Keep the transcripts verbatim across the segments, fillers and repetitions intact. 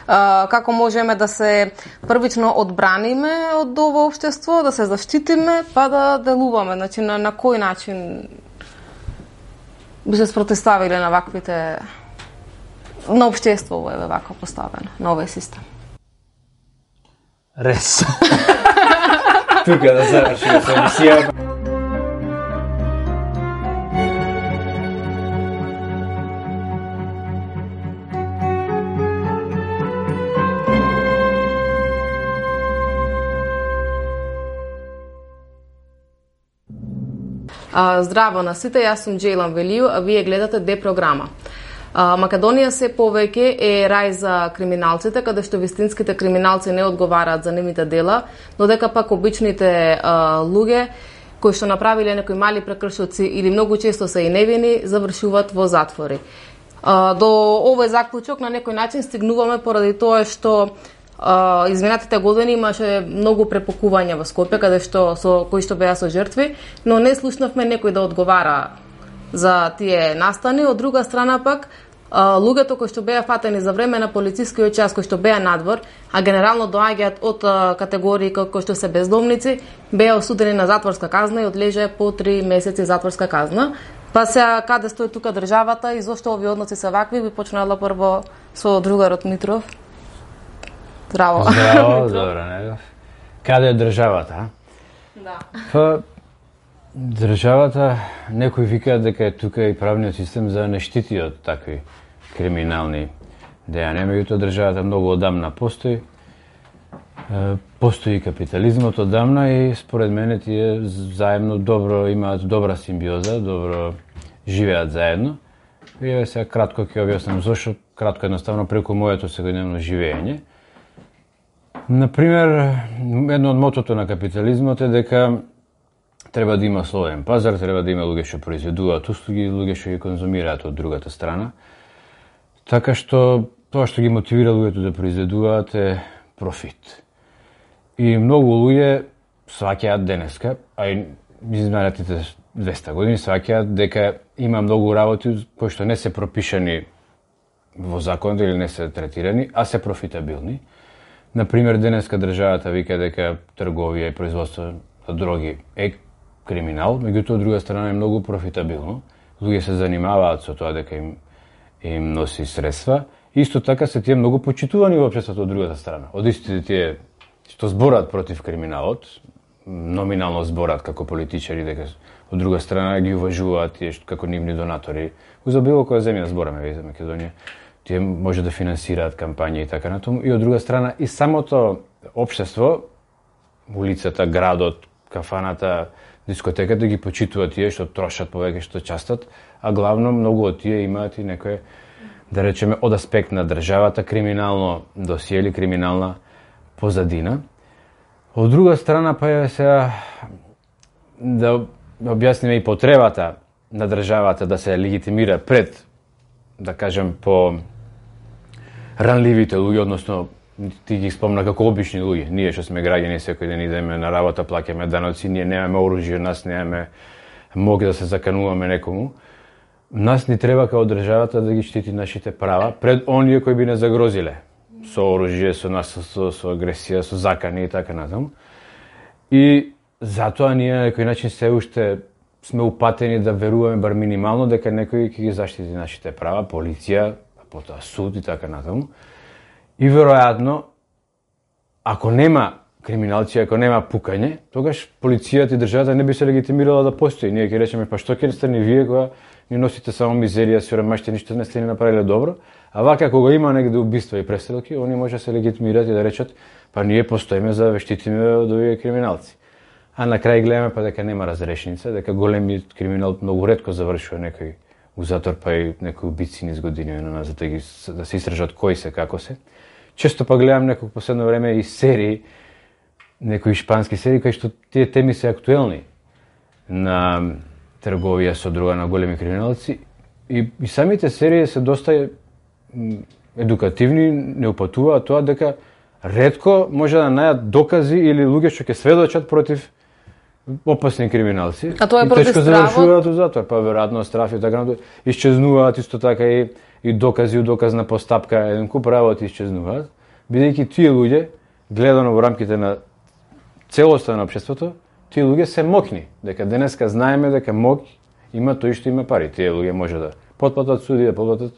како можеме да се првично одбраниме од ова општество, да се заштитиме, па да делуваме. Значи, на, на кој начин би се спротиставиле на ваквите, на општество е вака поставено, на овој систем? Рес. Тука да завршиме со емисијата. Здраво на сите, јас сум Джейлан Велију, а вие гледате Д програма. Македонија се повеќе е рај за криминалците, каде што вистинските криминалци не одговараат за нивните дела, но дека пак обичните а, луѓе кои што направиле некои мали прекршоци или многу често се и невини, завршуваат во затвори. А, до овој заклучок на некој начин стигнуваме поради тоа што Uh, изминатите години имаше многу препокувања во Скопје, каде што со кои што беа со жртви, но не слушнавме некој да одговара за тие настани. Од друга страна пак, uh, луѓето кои што беа фатени за време на полицискиот час, кои што беа надвор, а генерално доаѓаат од uh, категории кои што се бездомници, беа осудени на затворска казна и одлежаа по три месеци затворска казна. Па сега каде стои тука државата и зошто овие односи се вакви, би почнала прво со другарот Митров. Здраво. Здраво, добро, не. Каде е државата, а? Да. Па, државата, некои викаат дека е тука и правниот систем за не штити од такви криминални дејања. Меѓутоа, државата многу одамна постои. Постои капитализмот одамна и според мене тие заедно добро имаат добра симбиоза, добро живеат заедно. И еве сега кратко ќе објаснам зошто, кратко едноставно преку моето секојдневно живење. Например, едно од мотото на капитализмот е дека треба да има слободен пазар, треба да има луѓе што произведуваат услуги, луѓе што ги конзумираат од другата страна. Така што тоа што ги мотивира луѓето да произведуваат е профит. И многу луѓе сваќаат денеска, а и изминатите двесте години сваќаат дека има многу работи кои што не се пропишани во законот или не се третирани, а се профитабилни. Например, денеска државата вика дека трговија и производство на дроги е криминал, меѓутоа од друга страна е многу профитабилно. Луѓе се занимаваат со тоа дека им им носи средства. Исто така се тие многу почитувани во општеството од другата страна. Од истите тие што зборат против криминалот, номинално зборат како политичари дека од друга страна ги уважуваат тие како нивни донатори. За било која земја збораме за Македонија. Тие може да финансираат кампања и така натаму. И од друга страна, и самото општество, улицата, градот, кафаната, дискотеката ги почитуваат тие што трошат повеќе, што частат, а главно многу од тие имаат и некој, да речеме, од аспект на државата, криминално досие или криминална позадина. Од друга страна, па е сега да објасниме и потребата на државата да се легитимира пред, да кажем, по ранливите луѓе, односно ти ги спомна како обични луѓе. Ние што сме граѓани секој ден идеме на работа, плаќаме даноци, ние немаме оружје, нас немаме мог да се закануваме некому. Нас ни треба како државата да ги штити нашите права пред оние кои би не загрозиле со оружје, со нас, со, со агресија, со закани и така натаму. И затоа ние на некој начин се уште сме упатени да веруваме бар минимално дека некој ќе ги заштити нашите права, полиција, потоа суд и така натаму. И веројатно, ако нема криминалци, ако нема пукање, тогаш полицијата и државата не би се легитимирала да постои. Ние ќе речеме, па што ќе стане вие кога ни носите само мизерија, сиромаштија, ништо не сте ни направиле добро, а вака кога има негде убиства и престрелки, они може да се легитимираат и да речат, па ние постоиме за да штитиме од овие криминалци. А на крај гледаме па дека нема разрешница, дека големиот криминал многу ретко завршува некој у затвор, па и некои убици низ години за да, ги, да се истражат кои се, како се. Често па гледам некој последно време и серии, некои шпански серии, кај што тие теми се актуелни на трговија со друга на големи криминалци и, и самите серии се доста едукативни, не упатуваат тоа дека ретко може да најдат докази или луѓе што ќе сведочат против опасни криминалци. А тоа е против стравот? И тешко завршуваат у затвор, па веројатно страф и така натаму. Исчезнуваат исто така и, и докази, доказна постапка, еден куп работи исчезнуваат. бидејќи тие луѓе, гледано во рамките на целоста на општеството, тие луѓе се мокни, дека денеска знаеме дека мок има тој што има пари. Тие луѓе може да потплатат суди, да потплатат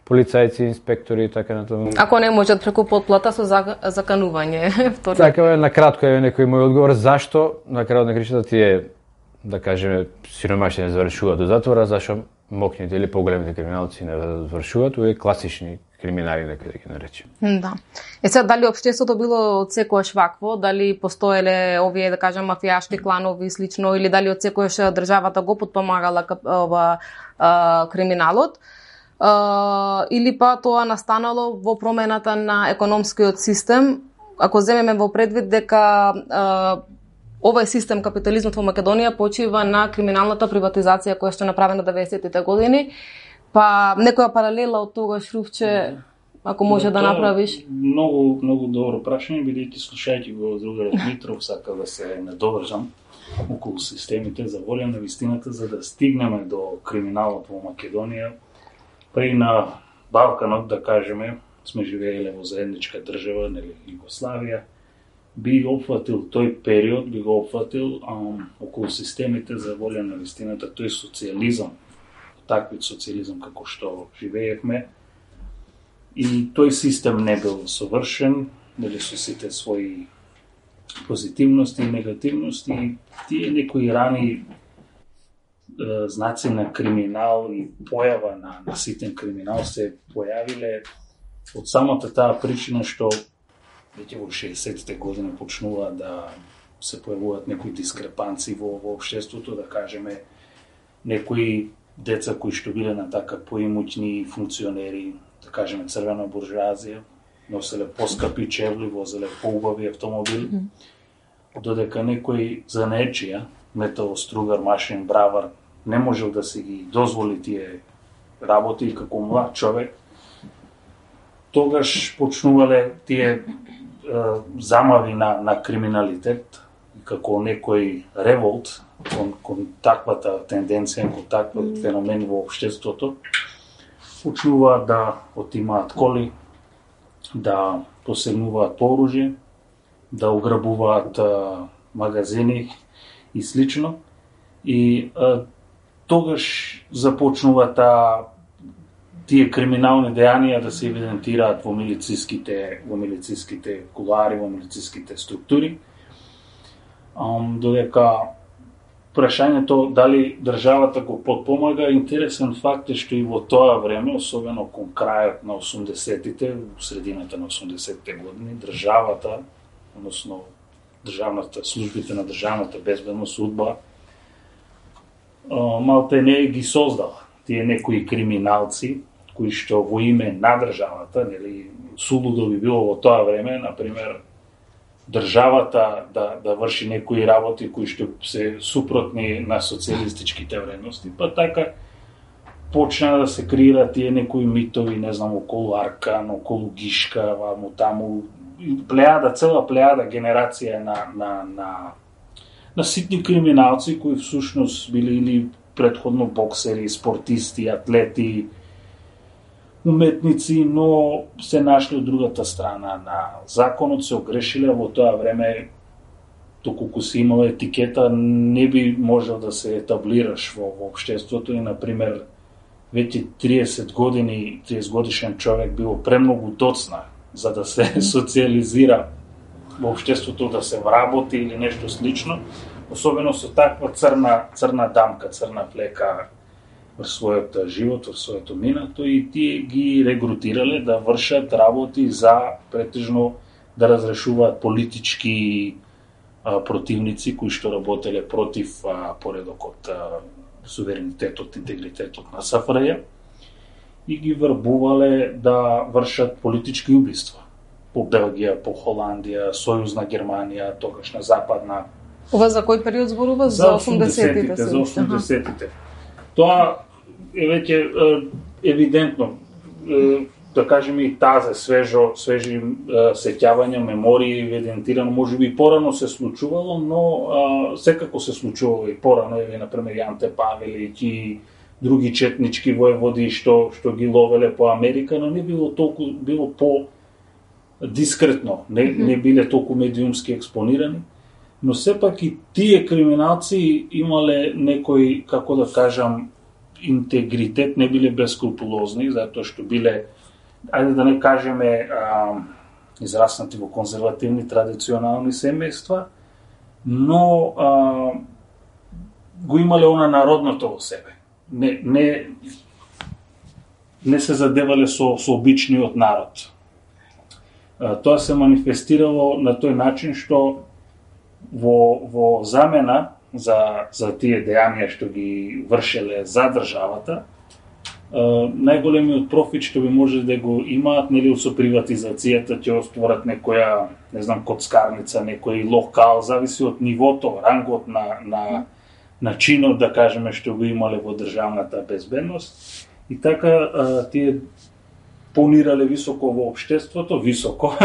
полицајци, инспектори и така натаму. Ако не можат преку потплата со заканување. Така е, на кратко е некој мој одговор зашто на крајот на кришата тие, да кажеме, сиромашни не завршуваат до затвора, зашто мокните или поголемите криминалци не завршуваат, овие класични криминари, нека да ги наречем. Да. Е сега, дали општеството било од секојаш вакво, дали постоеле овие, да кажем, мафијашки кланови и слично, или дали од секојаш државата го подпомагала ова криминалот, Uh, или па тоа настанало во промената на економскиот систем, ако земеме во предвид дека uh, овој систем, капитализмот во Македонија, почива на криминалната приватизација која што е направена деветдесетите години, па некоја паралела од тогаш, Рувче, ако може да, да направиш? Многу, многу добро прашање, бидејќи слушајќи го другарот Митров, сака да се надовржам околу системите за волја на вистината, за да стигнеме до криминалот во Македонија. Па и на Балканот, да кажеме, сме живееле во заедничка држава, нели, Југославија, би опфатил тој период, би го опфатил ам, околу системите за волја на вистината, тој социјализам, таквиот социјализам како што живеевме. И тој систем не бил совршен, нели, со сите своји позитивности и негативности, и тие некои рани знаци на криминал и појава на, на ситен криминал се појавиле од самата таа причина што веќе во шеесеттите години почнува да се појавуваат некои дискрепанции во, во општеството, да кажеме, некои деца кои што биле на така поимуќни функционери, да кажеме црвена буржуазија, носеле поскапи чевли, возеле поубави автомобили, mm-hmm. додека некој занаечија, метал, стругар, машин, бравар, не можел да се ги дозволи тие работи како млад човек, тогаш почнувале тие е, замави на, на криминалитет, како некој револт кон, кон таквата тенденција, кон такват феномен во општеството, почнуваат да отимаат коли, да посегнуваат оружје, да ограбуваат а, магазини и слично. И а, тогаш започнува таа тие криминални дејанија да се евидентираат во милициските во милициските кулари, во милициските структури. Um, додека прашањето дали државата го подпомага, интересен факт е што и во тоа време, особено кон крајот на осумдесетите, во средината на осумдесетите години, државата, односно државната службите на државната безбедност, судба, малте не ги создала тие некои криминалци кои што во име на државата, нели, сулудо би било во тоа време, например, државата да, да врши некои работи кои што се супротни на социјалистичките вредности, па така почна да се креираат тие некои митови, не знам, околу Аркан, околу Гишка, ваму таму, плејада, цела плејада генерација на, на, на, на ситни криминалци кои всушност били или предходно боксери, спортисти, атлети, уметници, но се нашли од другата страна на законот, се огрешиле во тоа време, доколку си имала етикета, не би можел да се етаблираш во, во општеството и, например, веќе триесет години, триесет годишен човек било премногу доцна за да се социјализира во општеството, да се вработи или нешто слично, особено со таква црна, црна дамка, црна флека во својот живот, во своето минато, и тие ги регрутирале да вршат работи за претежно да разрешуваат политички а, противници кои што работеле против а, поредокот, а, суверенитетот, интегритетот на СФРЈ, и ги врбувале да вршат политички убиства по Белгија, по Холандија, Сојузна Германија, тогашна западна. Ова за кој период зборува? За осумдесетите. За осумдесетите. Тоа е веќе евидентно, да кажеме, и тазе свежо, свежи сеќавања, мемории, евидентирано, можеби и порано се случувало, но а, секако се случувало и порано, еве, например, Јанте Павелиќ и други четнички воеводи што што ги ловеле по Америка, но не било толку, било по дискретно, не, не биле толку медиумски експонирани, но сепак и тие криминалци имале некој, како да кажам, интегритет, не биле бескрупулозни, затоа што биле, ајде да не кажеме, а, израснати во конзервативни, традиционални семејства, но а, го имале она народното во себе. Не, не, не се задевале со, со обичниот народ. А, тоа се манифестирало на тој начин што во, во замена за, за тие дејанија што ги вршеле за државата, Uh, најголемиот профит што би може да го имаат, нели, со приватизацијата ќе остворат некоја, не знам, коцкарница, некој локал, зависи од нивото, рангот на, на, на чинот, да кажеме, што го имале во државната безбедност. И така uh, тие понирале високо во општеството, високо,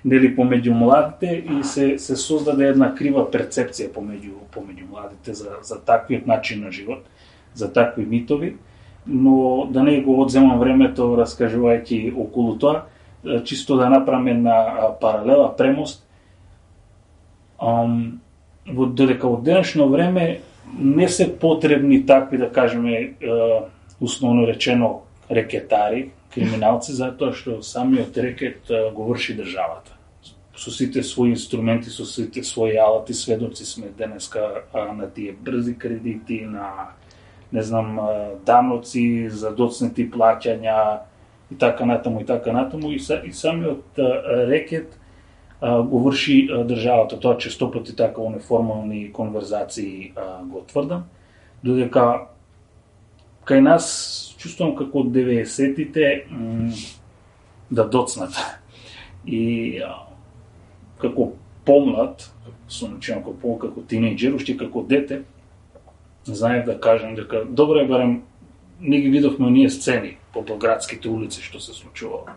нели, помеѓу младите, и се, се создаде една крива перцепција помеѓу, помеѓу младите за, за таквиот начин на живот, за такви митови. Но да не го одземам времето раскажувајќи околу тоа, чисто да направиме на паралела, премост. Um, во додека во денешно време не се потребни такви, да кажеме, условно речено, рекетари, криминалци, затоа што самиот рекет го врши државата. Со сите своји инструменти, со сите своји алати, сведоци сме денеска на тие брзи кредити, на не знам, даноци, задоцнети плаќања и така натаму и така натаму, и, са, и самиот рекет а, го врши а, државата. Тоа често пати така во неформални конверзации а, го тврдам, додека кај нас чувствувам како деветдесетите м, да доцнат. И а, како помлад, сонечено како, како тинејџер, уште како дете, знаев да кажам дека добро е барем не ги видовме оние сцени по белградските улици што се случувало.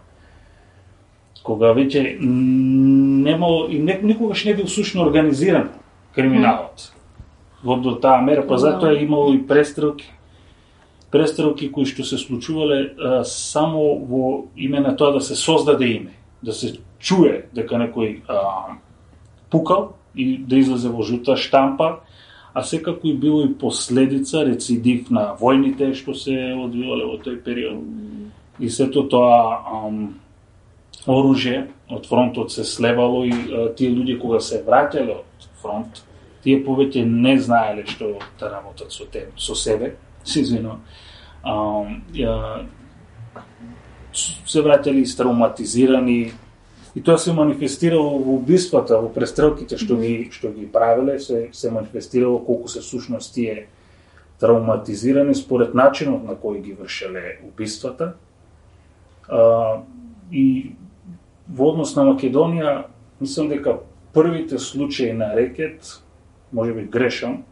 Кога веќе немало и не, никогаш не бил сушно организиран криминалот. Во до таа мера, па затоа е имало и престрелки. Престрелки кои што се случувале а, само во име на тоа да се создаде име, да се чуе дека некој а, пукал и да излезе во жута штампа, а секако и било и последица, рецидив на војните што се одвивале во тој период. И сето тоа ам, оружје од фронтот се слевало и а, тие луѓе кога се враќале од фронт, тие повеќе не знаеле што да работат со те, со себе, се извинувам. Се враќале истравматизирани. И тоа се манифестирало во убиствата, во престрелките што ги што ги правеле, се се манифестирало колку се всушност тие травматизирани според начинот на кој ги вршеле убиствата. А, и во однос на Македонија, мислам дека првите случаи на рекет, можеби грешам,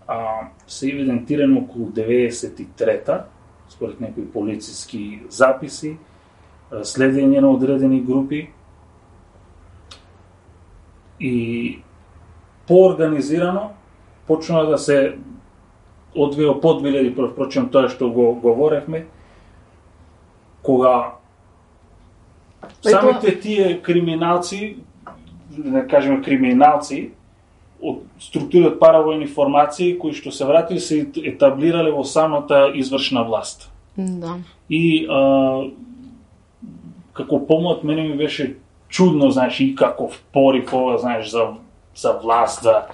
а, се евидентирани околу деветдесет и трета, според некои полициски записи, следење на одредени групи. И поорганизирано почна да се одвија по две илјади, впрочем тоа што го говоревме, кога самите тие криминалци, да кажеме криминалци, од структури од паравојни формации кои што се вратили се етаблирале во самата извршна власт. Да. И а, како помлад мене ми беше чудно, знаеш, и каков порив ова, знаеш, за, за власт, да,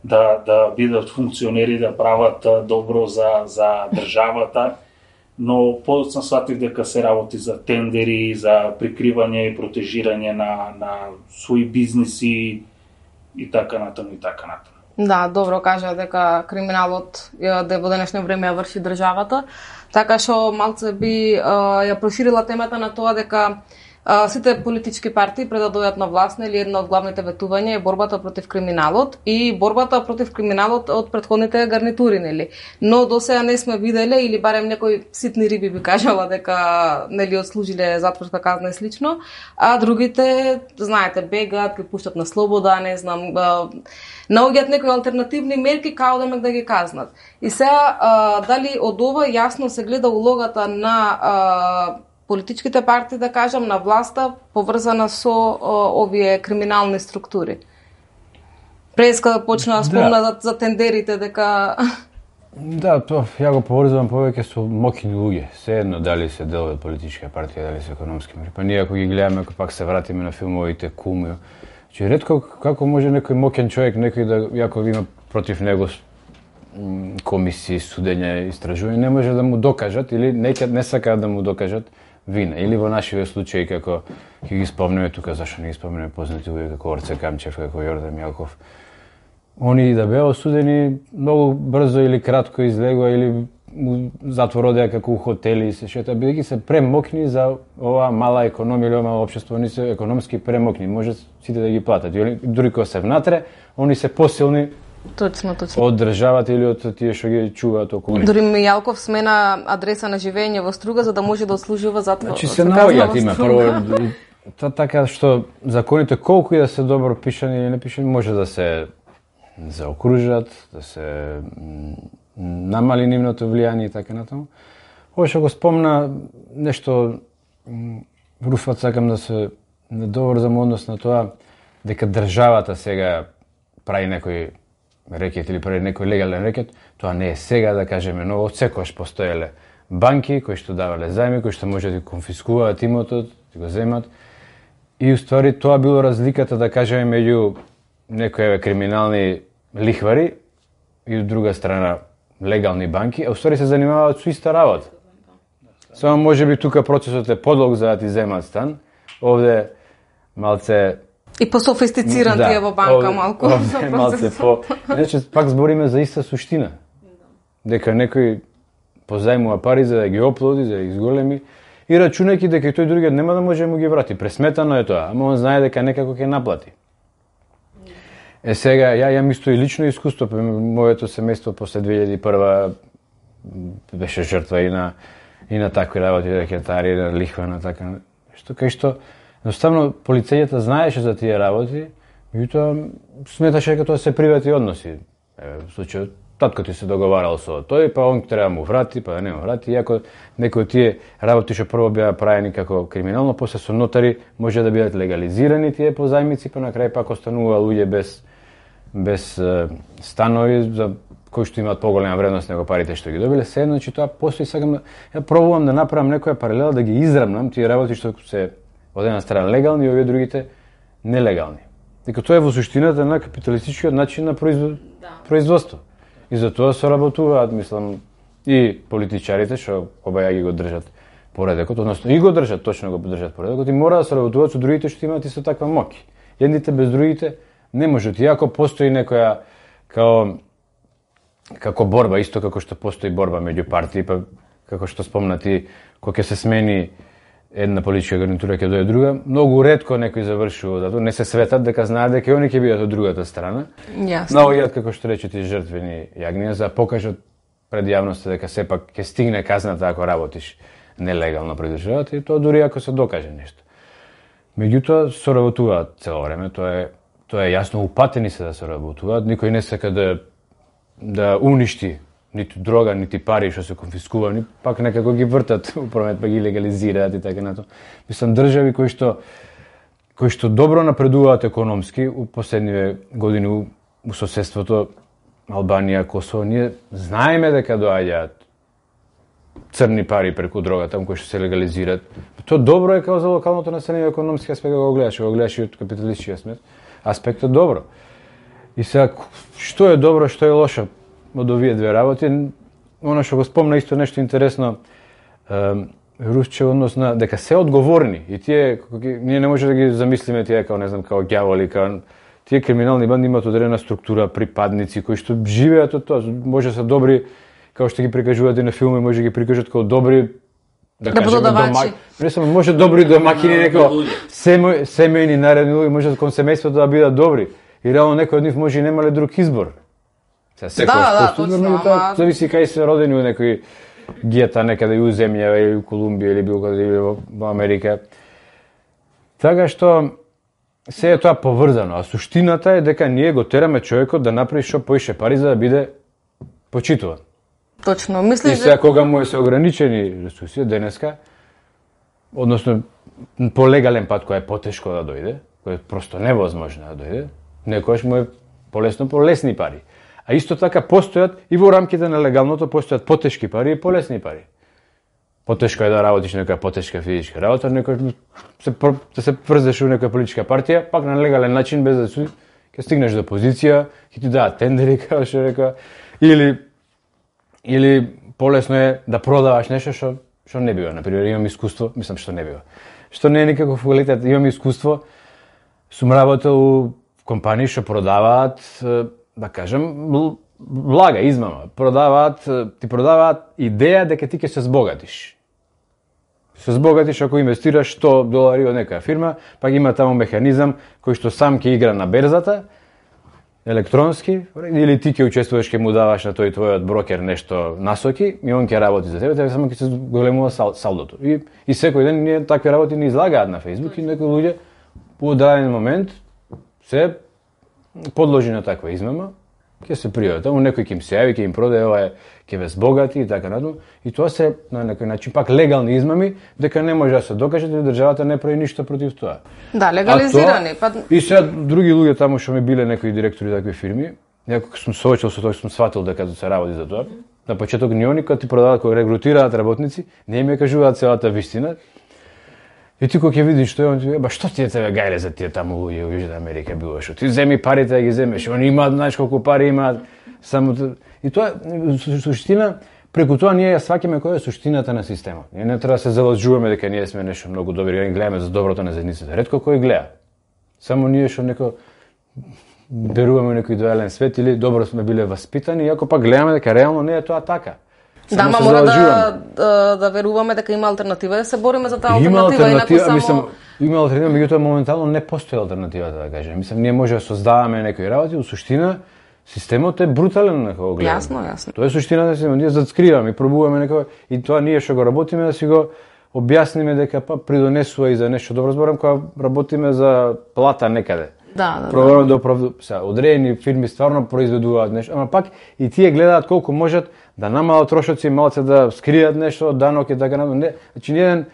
да, да бидат функционери, да прават добро за, за државата, но подоцна сватив дека се работи за тендери, за прикривање и протежирање на, на своји бизниси и така натаму и така натаму. Да, добро кажа дека криминалот да во денешно време ја врши државата, така што малце би ја проширила темата на тоа дека Uh, сите политички партии пред да дојдат на власт, нели една од главните ветувања е борбата против криминалот и борбата против криминалот од претходните гарнитури, нели. Но досега не сме виделе или барем некои ситни риби би кажала дека нели отслужиле затворска казна и слично, а другите, знаете, бегат, ги пуштат на слобода, не знам, uh, наоѓаат некои алтернативни мерки као да мек да ги казнат. И сега uh, дали од ова јасно се гледа улогата на uh, политичките партии, да кажам, на власта, поврзана со о, овие криминални структури. Преска да почна да спомна да. за, за тендерите, дека... Да, тоа ја го поврзувам повеќе со мокини луѓе. Сеедно дали се делови од политичка партија, дали се економски мери. Па ние ако ги гледаме, ако пак се вратиме на филмовите Кум, че ретко како може некој мокен човек, некој да јако има против него комисии, судења, истражување, не може да му докажат или некад не сакаат да му докажат вина. Или во нашиве случаи како ќе ги спомнеме тука, зашто не ги спомнеме познати луѓе како Орце Камчев, како Јордан Јалков. Они да беа осудени многу брзо или кратко излегува или у затвор одеа како у хотели и се шета, бидејќи се премокни за ова мала економија или ова мало општество, они се економски премокни, може сите да ги платат. Дури кога се внатре, они се посилни. Точно, точно. Од државата или од тие што ги чуваат околу нив. Дури Јалков смена адреса на живење во Струга за да може да отслужува затвор. Значи се наоѓаат има прво та така што законите колку и да се добро пишани или не пишани може да се заокружат, да се намали нивното влијание и така натаму. Ова што го спомна нешто Руфат, сакам да се недоврзам однос на тоа дека државата сега прави некој рекет или прави некој легален рекет, тоа не е сега, да кажеме, но од секогаш постоеле банки кои што давале заеми, кои што може да конфискуваат имотот, да го земат. И уствари тоа било разликата, да кажеме, меѓу некои криминални лихвари и од друга страна легални банки, а уствари се занимаваат со иста работа. Само може би тука процесот е подолг за да ти земат стан, овде малце и пософистициран да, тие во банка овде, малку. Овде малце по... Значи, пак збориме за иста суштина. Дека некој позајмува пари за да ги оплоди, за да ги изголеми и рачунајќи дека тој другиот нема да може да му ги врати. Пресметано е тоа, ама он знае дека некако ќе наплати. Е сега, ја ја исто и лично искуство, моето семејство после две илјади и прва беше жртва и на и на такви работи, рекетари, на лихва, на така што кај што едноставно полицејата знаеше за тие работи, меѓутоа сметаше дека тоа се приватни односи. Еве, во случајот татко ти се договарал со тој, па он треба му врати, па да не му врати, иако некои од тие работи што прво беа правени како криминално, после со нотари може да бидат легализирани тие позајмици, па на крај пак останува луѓе без без е, станови за кои што имаат поголема вредност него парите што ги добиле. Се значи тоа постои, сакам да ја пробувам да направам некоја паралела, да ги израмнам тие работи што се од една страна легални и овие другите нелегални. Дека тоа е во суштината на капиталистичкиот начин на производ... да. производство. И за тоа соработуваат, мислам, и политичарите што обаја ги го држат поредекот, односно и го држат, точно го држат поредекот, и мора да соработуваат со другите што имаат исто таква моќ. Едните без другите не можат. Иако постои некоја као како борба, исто како што постои борба меѓу партии, па како што спомнати, кога ќе се смени една политичка гарнитура, ќе дојде друга, многу ретко некој завршува затоа, не се светат дека знаат дека и они ќе бидат од другата страна. Јасно. Наоѓаат, како што речете, жртвени јагниња за да покажат пред јавноста дека сепак ќе стигне казната ако работиш нелегално пред државата, и тоа дури ако се докаже нешто. Меѓутоа соработуваат цело време, тоа е тоа е јасно, упатени се да соработуваат, никој не сака да да уништи ниту дрога, нити пари што се конфискувани, пак некако ги вртат управет, па ги легализираат и така нато. Мислам, држави кои што кои што добро напредуваат економски у последниве години у, у соседството Албанија, Косово, ние знаеме дека доаѓаат црни пари преку дрога таму кои што се легализираат. Тоа добро е како за локалното население, економски аспект го гледаш, го гледаш и од капиталистички аспект. Аспектот добро. И сега, што е добро, што е лошо од овие две работи, она што го спомна исто нешто интересно, е, Русче, однос на дека се одговорни и тие, ние не може да ги замислиме тие како, не знам, како ѓаволи, како тие криминални банди имаат одредена структура, припадници кои што живеат од тоа, може да се добри, како што ги прикажуваат и на филми, може да ги прикажат како добри, да, да кажеме, домаќини. Не само може добри домаќини, некако семејни наредни луѓе, може кон семејството да бидат добри. И реално некој од нив може и немале друг избор. Сега секој да, да, точно, тоа зависи кај се родени у некој гета некаде у земја или у Колумбија или било каде или во Америка. Така што се е тоа поврзано, а суштината е дека ние го тераме човекот да направи што поише пари за да биде почитуван. Точно, мислиш. И сега кога му е се ограничени ресурси денеска, односно по легален пат кој е потешко да дојде, кој е просто невозможно да дојде, некојаш му е полесно по лесни пари. А исто така постојат и во рамките на легалното постојат потешки пари и полесни пари. Потешко е да работиш некоја потешка физичка работа, некој се да се врзеш во некоја политичка партија, пак на легален начин без да се ќе стигнеш до позиција, ќе ти дадат тендери, како што река, или или полесно е да продаваш нешто што што не бива. Например, имам искуство, мислам што не бива. Што не е никаков квалитет, имам искуство, сум работел у компании што продаваат, да кажем, влага, измама. Продаваат, ти продаваат идеја дека ти ќе се збогатиш. Се збогатиш ако инвестираш сто долари од некоја фирма, пак има таму механизам кој што сам ќе игра на берзата, електронски, или ти ќе учествуваш, ќе му даваш на тој твојот брокер нешто насоки, и он ќе работи за тебе, тебе само ќе се големува сал, салдото. И, и секој ден ние такви работи не излагаат на Facebook и некои луѓе по одреден момент се подложи на таква измама, ќе се пријават. Таму некој ќе им се јави, ќе им продаде, ова е, ќе ве збогати и така натаму. И тоа се на некој начин пак легални измами, дека не може да се докаже дека државата не прави ништо против тоа. Да, легализирани. Тоа, па... И сега други луѓе таму што ми биле некои директори такви фирми, некој сум соочил со тоа, сум сватил дека се работи за тоа. На почеток ни они кога ти продаваат, кога регрутираат работници, не им ја кажуваат целата вистина. И ти кога ќе видиш што е, он ти ба што ти е тебе гајле за тие таму луѓе во Јужна Америка било што ти земи парите да ги земеш, они имаат знаеш колку пари имаат, само и тоа суштина преку тоа ние ја сваќаме која е суштината на системот. Ние не треба да се залажуваме дека ние сме нешто многу добри, ние гледаме за доброто на заедницата. Ретко кој гледа. Само ние што неко веруваме некој идеален свет или добро сме биле васпитани, иако пак гледаме дека реално не е тоа така. Да, ма мора да, да, да веруваме дека има алтернатива, да се бориме за таа алтернатива, инаку само... Мислам, има алтернатива, меѓутоа моментално не постои алтернативата, да кажем. Мислам, ние може да создаваме некои работи, во суштина, системот е брутален на кога гледаме. Јасно, јасно. Тоа е суштината на системот. Ние зацкриваме и пробуваме некој, и тоа ние што го работиме, да си го објасниме дека па придонесува и за нешто добро. Зборам кога работиме за плата некаде. Да, да, Пробуваме да оправду... Са, одредени фирми стварно произведуваат нешто, ама пак и тие гледаат колку можат да намалат трошоци, малце да скријат нешто од данок и така натаму. Значи еден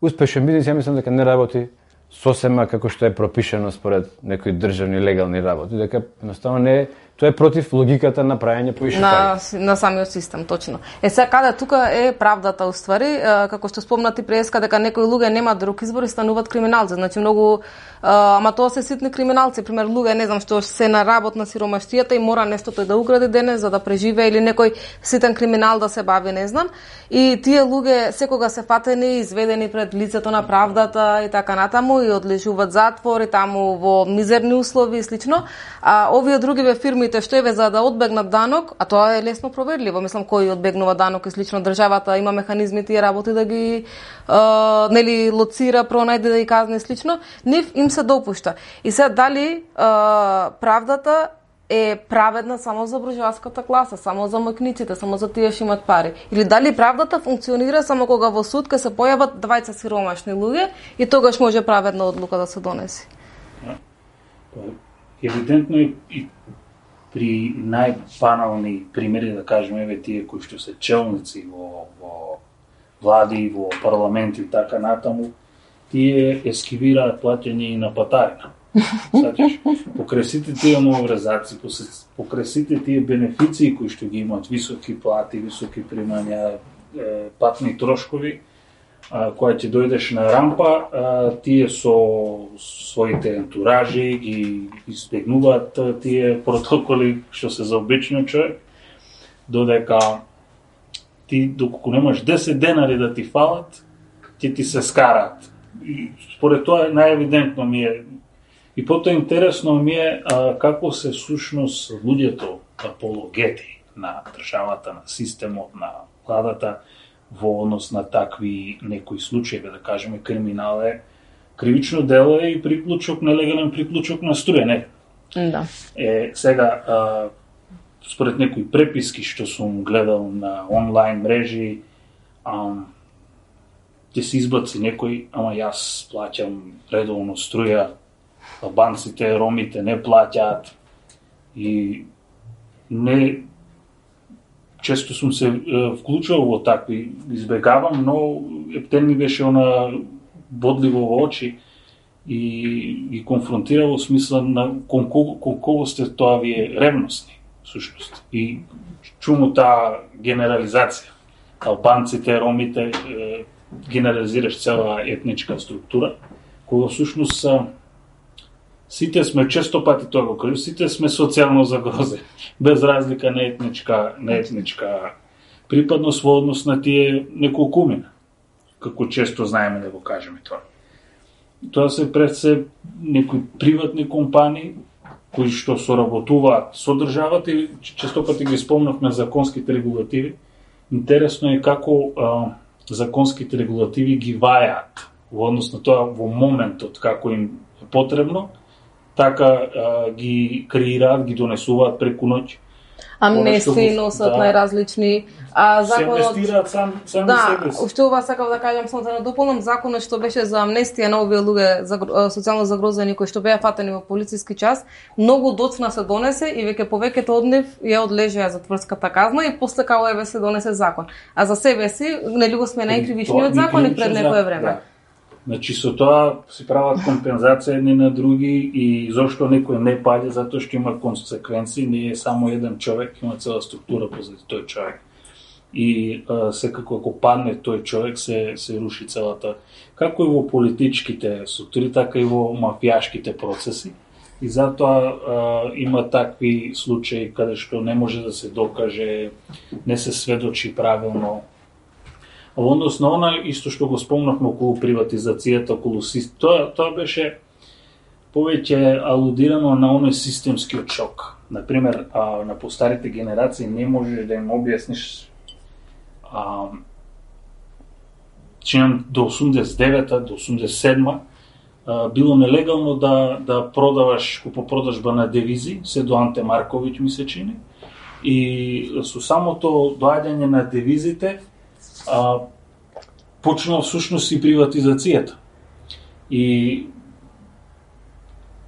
успешен бизнис, ја мислам дека не работи сосема како што е пропишано според некои државни легални работи, дека едноставно не е, тоа е против логиката на праење повише на, пари. На самиот систем, точно. Е сега каде тука е правдата уствари, како што спомнати преска дека некои луѓе немаат друг избор и стануваат криминалци, значи многу ама тоа се ситни криминалци, пример луѓе не знам што се на работ на сиромаштијата и мора нешто тој да украде денес за да преживее или некој ситен криминал да се бави, не знам. И тие луѓе секога се фатени, изведени пред лицето на правдата и така натаму и одлежуваат затвор и таму во мизерни услови и слично. А овие другиве фирмите што еве за да одбегнат данок, а тоа е лесно проверливо, мислам кој одбегнува данок и слично, државата има механизми тие работи да ги а, нели лоцира, пронајде да ги казне и слично, нив им се допушта. И сега дали а, правдата е праведна само за буржоаската класа, само за мојкниците, само за тие што имаат пари? Или дали правдата функционира само кога во суд ке се појават двајца сиромашни луѓе и тогаш може праведна одлука да се донеси? Евидентно е и при најбанални примери, да кажеме, еве тие кои што се челници во, во влади, во парламенти и така натаму, тие ескивираат плаќање и на патарина. Сачаш, покрај сите тие нововрезаци, покрај сите тие бенефиции кои што ги имаат, високи плати, високи примања, патни трошкови, кога ќе дојдеш на рампа, тие со своите ентуражи ги избегнуваат тие протоколи што се за обичниот човек, додека ти доколку немаш десет денари да ти фалат, ќе ти се скараат. И според тоа најевидентно ми е и потоа интересно ми е а, како се сушност луѓето апологети на државата, на системот, на владата во однос на такви некои случаи, да кажеме, криминал е кривично дело е и приклучок, нелегален приклучок на струја, не? Да. Е, сега, а, според некои преписки што сум гледал на онлайн мрежи, а, ќе се избаци некој, ама јас плаќам редовно струја, албанците, ромите не плаќаат и не често сум се е, вклучувал во такви, избегавам, но ептен ми беше она бодливо во очи и ги конфронтира во смисла на кон кого, кон кого сте тоа вие ревностни, всушност. И чумо таа генерализација. Албанците, ромите, е, генерализираш цела етничка структура, кога всушност сите сме, често пати тоа го кажу, сите сме социјално загрозени, без разлика на етничка, на етничка припадност во однос на тие неколкумина, како често знаеме да го кажеме тоа. Тоа се пред се некои приватни компании кои што соработуваат со државата и често пати ги спомнавме законските регулативи. Интересно е како а, законските регулативи ги вајаат во однос на тоа во моментот како им е потребно, така а, ги креираат, ги донесуваат преку ноќ. Амнестии носат да, најразлични а законот се инвестираат сам сам да, себе си. уште ова сакав да кажам само да надополнам законот што беше за амнестија на овие луѓе социјално загрозени кои што беа фатени во полициски час, многу доцна се донесе и веќе повеќето од нив ја одлежеа затворската казна и после као еве се донесе закон. А за себе си нели го сме најкривичниот закон и пред некое време. Да. Значи со тоа се прават компензација едни на други и зошто некој не паѓа, затоа што има консеквенции, не е само еден човек, има цела структура позади тој човек. И а, секако ако падне тој човек се се руши целата, како и во политичките структури, така и во мафијашките процеси. И затоа а, има такви случаи каде што не може да се докаже, не се сведочи правилно. А во однос на она, исто што го спомнавме околу приватизацијата, околу систем, тоа, тоа беше повеќе алудирано на оној системскиот шок. Например, а, на постарите генерации не можеш да им објасниш а, чинам до осумдесет и девета, до осумдесет и седма а, било нелегално да, да продаваш купопродажба на девизи, се до Анте Марковиќ ми се чини, и со самото доаѓање на девизите А, почнала всушност и приватизацијата. И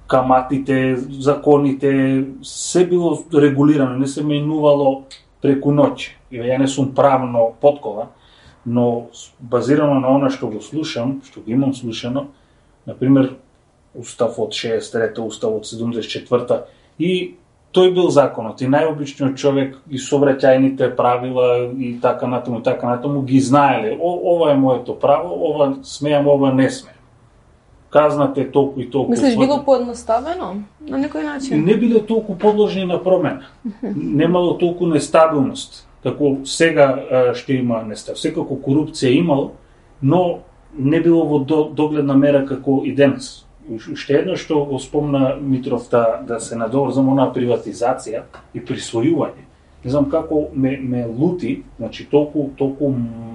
каматите, законите, се било регулирано, не се менувало преку ноќ. Ја не сум правно подкова, но базирано на она што го слушам, што го имам слушано, например, Устав од шеесет и трета, Устав од седумдесет и четврта, и тој бил законот и најобичниот човек и сообраќајните правила и така натаму и така натаму ги знаеле. О, ова е моето право, ова смеам, ова не смеам. Казната е толку и толку. Мислиш било поедноставено на некој начин? Не биле толку подложни на промена. Немало толку нестабилност. Како сега што има нестабилност. Секако корупција имало, но не било во догледна мера како и денес. Уште едно што го спомна Митров да, да се надоврзам на приватизација и присвојување. Не знам како ме, ме лути, значи толку, толку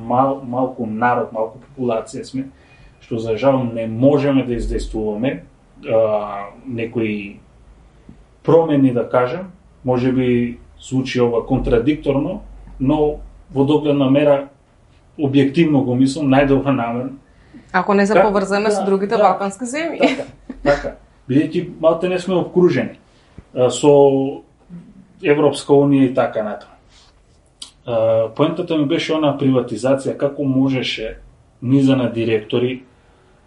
мал, малку народ, малку популација сме, што за жал не можеме да издействуваме а, некои промени, да кажем, може би звучи ова контрадикторно, но во догледна мера објективно го мислам, најдобро намерно. Ако не се Как? поврземе да, со другите да, балкански земји. Така, така. Бидејќи малте не сме обкружени а, со Европска унија и така натаму. Поентата ми беше она приватизација, како можеше низа на директори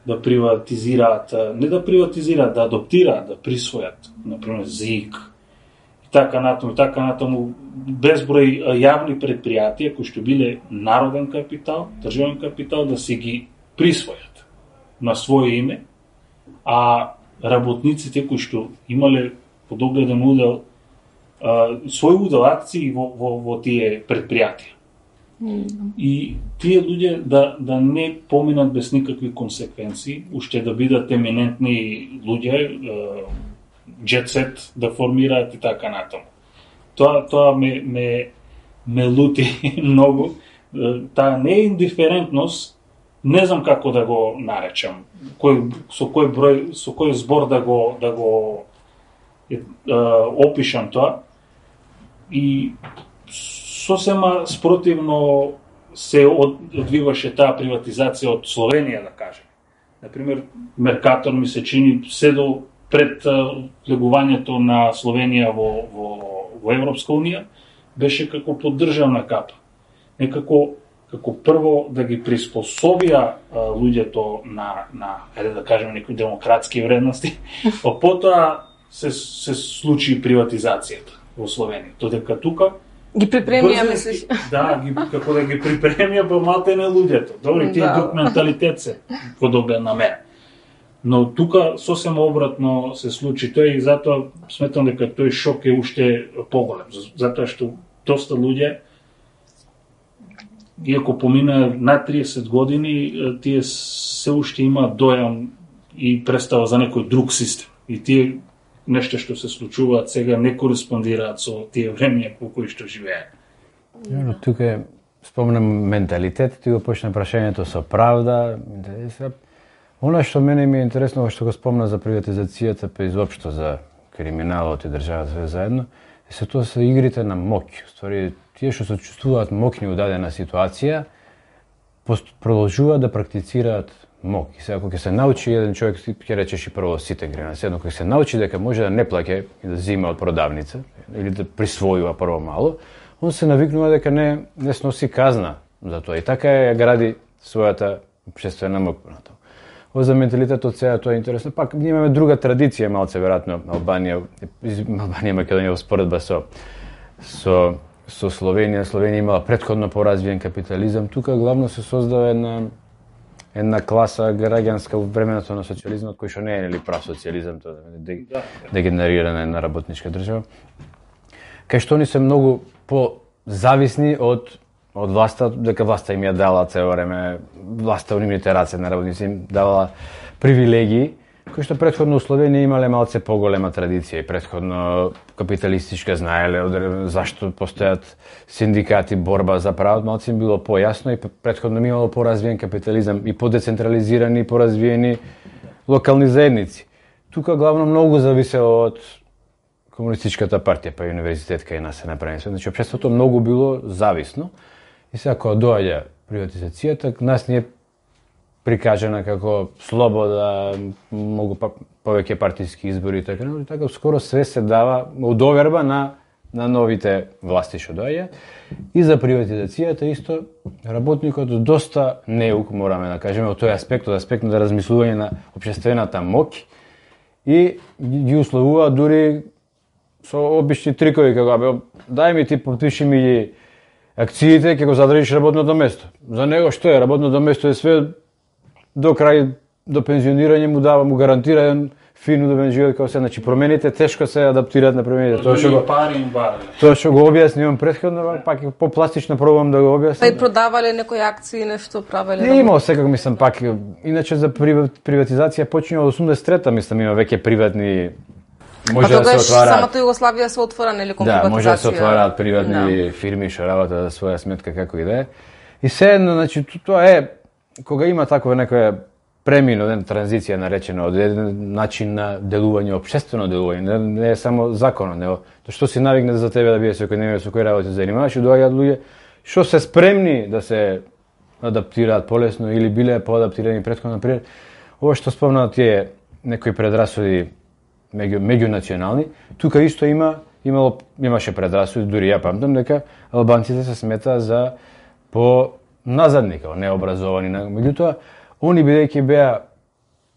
да приватизираат, не да приватизираат, да аdoптираат, да присвојат, например, ЗИК и така натаму, и така натаму, безброј јавни предпријатија кои што биле народен капитал, државен капитал, да си ги присвојат на своје име, а работниците кои што имале подогледен удел, свој удел акции во, во, во тие предпријатија. Mm. И тие луѓе да, да не поминат без никакви консеквенции, уште да бидат еминентни луѓе, джетсет да формираат и така натаму. Тоа, тоа ме, ме, ме лути многу. Таа не е индиферентност, не знам како да го наречам, кој, со кој број, со кој збор да го да го е, е, опишам тоа. И сосема спротивно се одвиваше таа приватизација од Словенија, да кажем. Например, Меркатор ми се чини се до пред влегувањето на Словенија во, во, во Европска унија, беше како поддржавна капа. Некако како прво да ги приспособија луѓето на на ајде да кажеме некои демократски вредности, а потоа се се случи приватизацијата во Словенија. Додека тука ги припремија, мислиш? Да, ги како да ги припремија па матене луѓето. Добри, тие друг менталитет се подобен на мене. Но тука сосема обратно се случи тој и затоа сметам дека тој шок е уште поголем, затоа што доста луѓе, иако помина над триесет години, тие се уште има дојам и представа за некој друг систем. И тие нешто што се случуваат сега не кореспондираат со тие времиња по кои што живеат. Но тука спомнам менталитет, ти го почна прашањето со правда. Она што мене ми е интересно, што го спомна за приватизацијата, па изопшто за криминалот и државата све заедно, е се тоа се игрите на моќ. Ствари, тие што се чувствуваат моќни у дадена ситуација, продолжуваат да практицираат моќ. И сега, кога ќе се научи еден човек, ќе речеш и прво сите грена, седно, кога се научи дека може да не плаќа и да зима од продавница, или да присвојува прво мало, он се навикнува дека не, не сноси казна за тоа. И така ја гради својата општествена моќ. Ова за менталитетот сега тоа е интересно. Пак ние имаме друга традиција, малце веројатно Албанија, Албанија, Македонија споредба со со со Словенија. Словенија имала претходно поразвиен капитализам. Тука главно се создава една една класа граѓанска во времето на социјализмот, кој што не е нели прав социјализам, тоа е дегенерирана една работничка држава. Кај што они се многу позависни од од власта, дека власта им ја дала цело време, власта унимните раце на работници им давала привилегии, кои што претходно у Словенија имале малце поголема традиција и претходно капиталистичка, знаеле зашто постојат синдикати, борба за правот, малце им било појасно и претходно имало поразвиен капитализам и подецентрализирани и поразвиени локални заедници. Тука главно многу зависело од комунистичката партија, па и универзитет кај нас се направи. Значи, општеството многу било зависно. И сега, кога доаѓа приватизацијата, нас ни е прикажена како слобода, многу па, повеќе партиски избори и така, и така скоро све се дава у доверба на на новите власти што доаѓа. И за приватизацијата исто работникот доста неук, мораме да кажеме, од тој аспект, од аспект на размислување на општествената моќ и ги условува дури со обични трикови, како бе, дај ми ти подпиши ми ги акциите, ќе го задржиш работното место. За него што е? Работното место е све до крај, до пензионирање му дава, му гарантира еден фин удобен живот како се. Значи промените тешко се адаптираат на промените. Тоа што го пари им барале. Тоа што го објаснивам претходно, пак попластично пробувам да го објаснам. Па и продавале некои акции, нешто правеле. Не имало секако, мислам, пак иначе за приватизација почнува од осумдесет и трета, мислам, има веќе приватни. Може па да се отвараат. Самото Југославија се отвора нели кон приватизација. Да, може да се отвараат приватни да. фирми што работат за своја сметка како и да е. И се едно, значи тоа е кога има такова некоја премина, една транзиција наречена од еден начин на делување, општествено делување, не, не е само законот, него тоа што си навикнат за тебе да биде секојдневно со кој работи занимаваш, и доаѓаат луѓе што се спремни да се адаптираат полесно или биле поадаптирани претходно. Например, ова што спомнаа тие некои предрасуди меѓу меѓунационални, тука исто има имало имаше предрасуди, дури ја памтам дека албанците се смета за по назадни, као необразовани, меѓутоа они бидејќи беа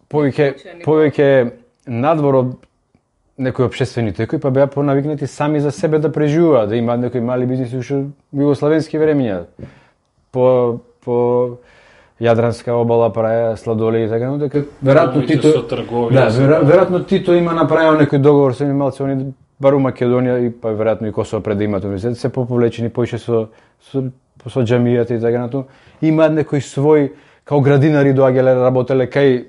повеќе повеќе надвор од некои општествени текови, па беа понавикнати сами за себе да преживуваат, да имаат некои мали бизниси уште југославенски времиња. По по Јадранска обала праја сладоледи и така, но дека веројатно Тито да, веројатно Тито има направил некој договор со малце, они бару Македонија и па веројатно и Косово пред да имаат универзитет се поповлечени поише со со со џамијата и така натаму. Имаат некој свој као градинари доаѓале работеле кај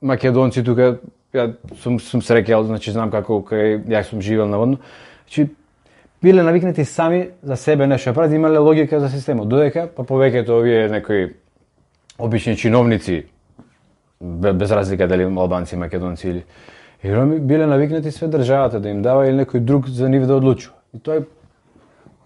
македонци тука. Ја сум сум среќал, значи знам како кај ја сум живел наводно. Значи биле навикнати сами за себе нешто прават, имале логика за системот. Додека па повеќето овие некои обични чиновници, без разлика дали албанци, македонци или и роми, биле навикнати све државата да им дава или некој друг за нив да одлучува. И тоа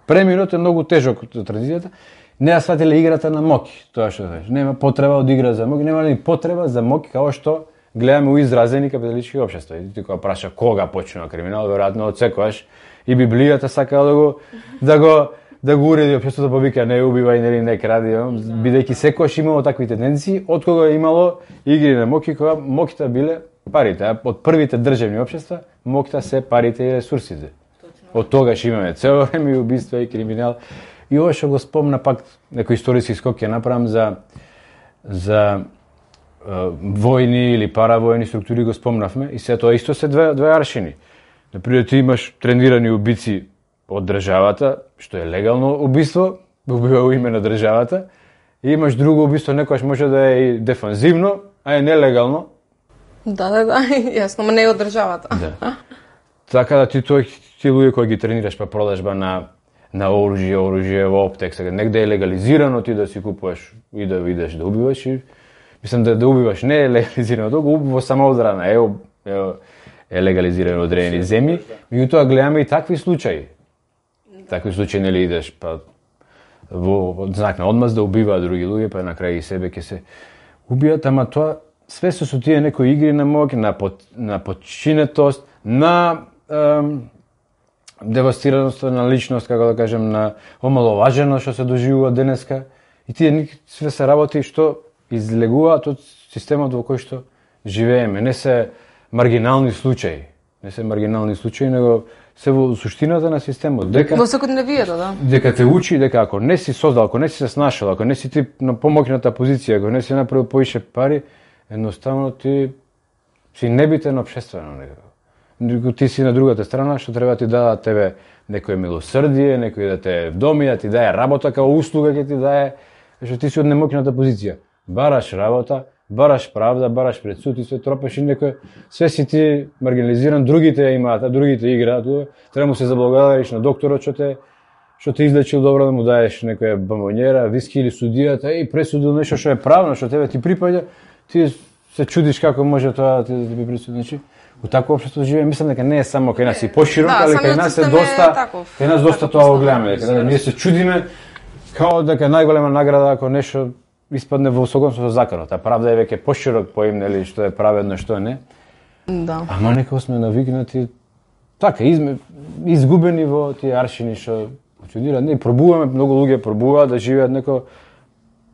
преминот е многу тежок од традицијата. Не ја сватиле играта на моќ, тоа што знаеш. Нема потреба од игра за моќ, нема ни потреба за моќ како што гледаме у изразени капиталистички општества. И ти кога праша кога почнува криминал, веројатно од секогаш и Библијата сака да го да го да го уреди општеството, па вика не убивај, нели не кради, бидејќи секогаш имало такви тенденции, од кога е имало игри на моќи, кога моќта биле парите, а од првите државни општества моќта се парите и ресурсите. Од тогаш имаме цело време и убиства и криминал. И ова што го спомна пак некој историски скок ќе направам за за војни или паравојни структури го спомнавме и се тоа исто се две две аршини. Например, ти имаш тренирани убици од државата, што е легално убиство, убива во име на државата, и имаш друго убиство, некојаш може да е и дефанзивно, а е нелегално. Да, да, да, јасно, но не од државата. Да. Така да ти тој ти луѓе кои ги тренираш па продажба на на оружје, оружје во оптек, сега негде е легализирано ти да си купуваш и да видиш да убиваш и мислам да да убиваш не е легализирано, тоа го убива само одбрана, е, е, е легализирано од одредени земји, меѓутоа гледаме и такви случаи. Такви случаи нели идеш па во знак на одмаз да убиваат други луѓе, па на крај и себе ќе се убијат, ама тоа све со тие некои игри на моќ, на под, на подчинетост, на ем, девастираност на личност, како да кажем, на омаловаженост што се доживува денеска. И тие све се работи што излегуваат од системот во кој што живееме. Не се маргинални случаи, не се маргинални случаи, него се во суштината на системот. Дека во секојдневието, да. Дека те учи дека ако не си создал, ако не си се снашал, ако не си ти на помоќната позиција, ако не си направил поише пари, едноставно ти си небитен општествено некако. Ти си на другата страна, што треба ти дадат тебе некој милосрдие, некој да те вдоми, да ти дае работа, као услуга ќе ти дае, што ти си од немоќната позиција. Бараш работа, бараш правда, бараш пред суд и се тропаш и некој, све си ти маргинализиран, другите имаат, а другите играат, треба му се заблагодариш на докторот што те што те излечил добро, да му даеш некоја бомбонјера, виски или судијата и пресудил нешто што е правно, што тебе ти припаѓа, ти се чудиш како може тоа да ти би присуди. Значи, у такво општество живееме, мислам дека не е само кај нас и поширок, да, али кај нас е доста, кај нас доста тоа го гледаме, дека да, ние се чудиме као дека најголема награда ако нешто испадне во согласно со законот, а правда е веќе поширок поим, нели, што е праведно, што не. Да. Ама некако сме навикнати така изме, изгубени во тие аршини што функционираат, не пробуваме, многу луѓе пробуваат да живеат некој